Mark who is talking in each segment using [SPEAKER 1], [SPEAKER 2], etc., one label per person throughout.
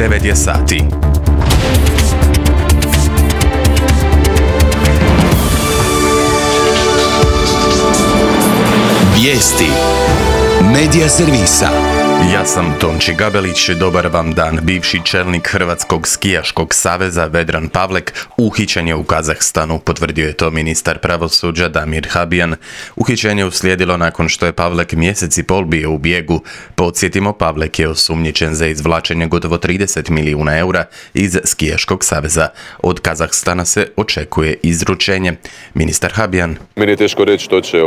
[SPEAKER 1] 9 je sati.
[SPEAKER 2] Vijesti Medija servisa.
[SPEAKER 1] Ja sam Tonči Gabelić, dobar vam dan. Bivši čelnik Hrvatskog skijaškog saveza Vedran Pavlek uhićen je u Kazahstanu, potvrdio je to ministar pravosuđa Damir Habijan. Uhićenje uslijedilo nakon što je Pavlek mjesec i pol bio u bijegu. Podsjetimo, Pavlek je osumnjičen za izvlačenje gotovo 30 milijuna eura iz skijaškog saveza. Od Kazahstana se očekuje izručenje. Ministar Habijan:
[SPEAKER 3] Meni je teško reći što će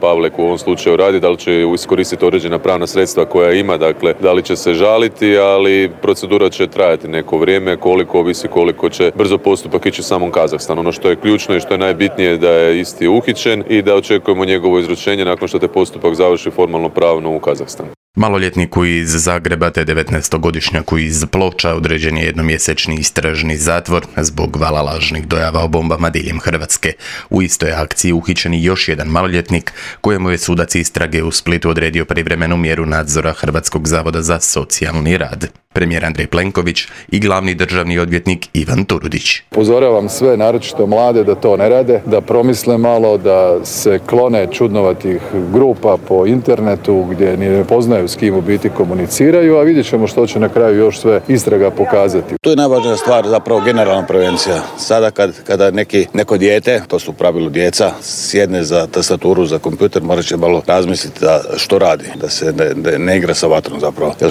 [SPEAKER 3] Pavlek u ovom slučaju raditi, da li će iskoristiti određena pravna sredstva koja ima, dakle, da li će se žaliti, ali procedura će trajati neko vrijeme, koliko će brzo postupak ići u samom Kazahstanu. Ono što je ključno i što je najbitnije da je isti uhićen i da očekujemo njegovo izručenje nakon što te postupak završi formalno pravno u Kazahstanu.
[SPEAKER 1] Maloljetniku iz Zagreba te 19-godišnjaku iz Ploča određen je jednomjesečni istražni zatvor zbog vala lažnih dojava o bombama diljem Hrvatske. U istoj akciji uhićen je još jedan maloljetnik kojemu je sudac istrage u Splitu odredio privremenu mjeru nadzora Hrvatskog zavoda za socijalni rad. Premijer Andrej Plenković i glavni državni odvjetnik Ivan Turudić.
[SPEAKER 4] Upozoravam sve, naročito mlade, da to ne rade, da promisle malo, da se klone čudnovatih grupa po internetu gdje ne poznaju s kim u biti komuniciraju, a vidjet ćemo što će na kraju još sve istraga pokazati.
[SPEAKER 5] To je najvažnija stvar, zapravo generalna prevencija. Sada kada neko dijete, to su u pravilu djeca, sjedne za tastaturu, za kompjuter, morat će malo razmisliti što radi, da se ne igra sa vatrom zapravo. Jer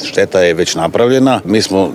[SPEAKER 5] šteta je već napravljena, mi smo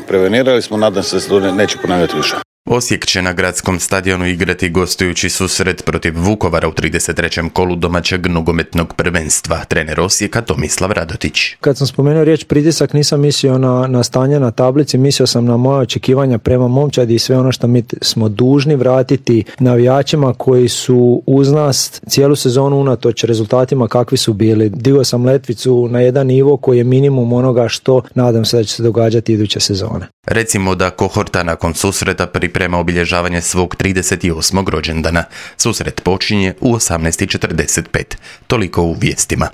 [SPEAKER 5] prevenirali smo, nadam se da se to neće ponavljati više.
[SPEAKER 1] Osijek će na gradskom stadionu igrati gostujući susret protiv Vukovara u 33. kolu domaćeg nogometnog prvenstva. Trener Osijeka Tomislav Radotić.
[SPEAKER 6] Kad sam spomenuo riječ pritisak, nisam mislio na stanje na tablici, mislio sam na moja očekivanja prema momčadi i sve ono što mi smo dužni vratiti navijačima koji su uz nas cijelu sezonu unatoč rezultatima kakvi su bili. Digao sam letvicu na jedan nivo koji je minimum onoga što nadam se da će se događati iduće sezone.
[SPEAKER 1] Recimo da kohorta nakon susreta priprema obilježavanje svog 38. rođendana. Susret počinje u 18:45. Toliko u vijestima.